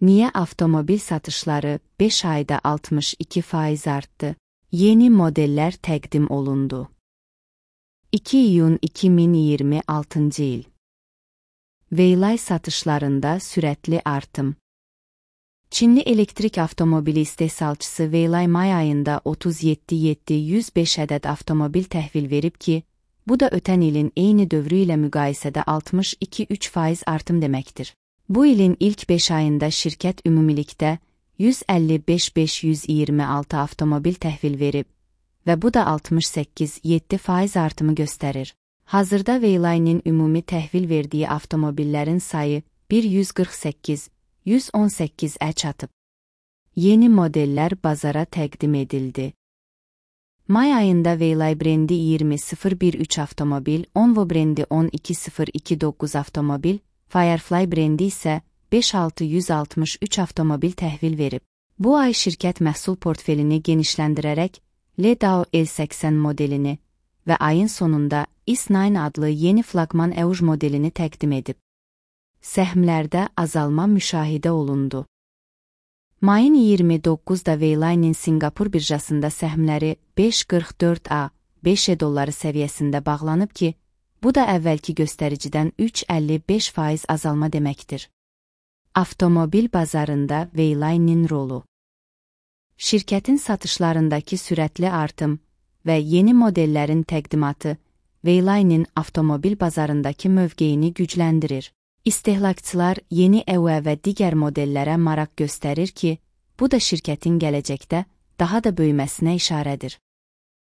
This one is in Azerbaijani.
Niyə avtomobil satışları 5 ayda 62% artdı? Yeni modellər təqdim olundu. 2 iyun 2026 il. Weylay satışlarında sürətli artım. Çinli elektrik avtomobili istehsalçısı Weylay may ayında 37.705 ədəd avtomobil təhvil verib ki, bu da ötən ilin eyni dövrü ilə müqayisədə 62,3% artım deməkdir. Bu ilin ilk 5 ayında şirkət ümumilikdə 155.526 avtomobil təhvil verib və bu da 68,7% artımı göstərir. Hazırda Weylay'nin ümumi təhvil verdiyi avtomobillərin sayı 118.118-ə çatıb. Yeni modellər bazara təqdim edildi. May ayında Weylay brendi 20.013 avtomobil, Onvo brendi 12.029 avtomobil, Firefly brendi isə 5.663 avtomobil təhvil verib. Bu ay şirkət məhsul portfelini genişləndirərək Ledao L80 modelini və ayın sonunda S9 adlı yeni flaqman EUJ modelini təqdim edib. Səhmlərdə azalma müşahidə olundu. Mayın 29-da Weylay'nin Singapur birjasında səhmləri 5.44 $5 səviyyəsində bağlanıb ki, bu da əvvəlki göstəricidən 3,55% azalma deməkdir. Avtomobil bazarında Weylay'nin rolu. Şirkətin satışlarındakı sürətli artım və yeni modellərin təqdimatı Weylay'nin avtomobil bazarındakı mövqeyini gücləndirir. İstehlakçılar yeni EUV və digər modellərə maraq göstərir ki, bu da şirkətin gələcəkdə daha da böyüməsinə işarədir.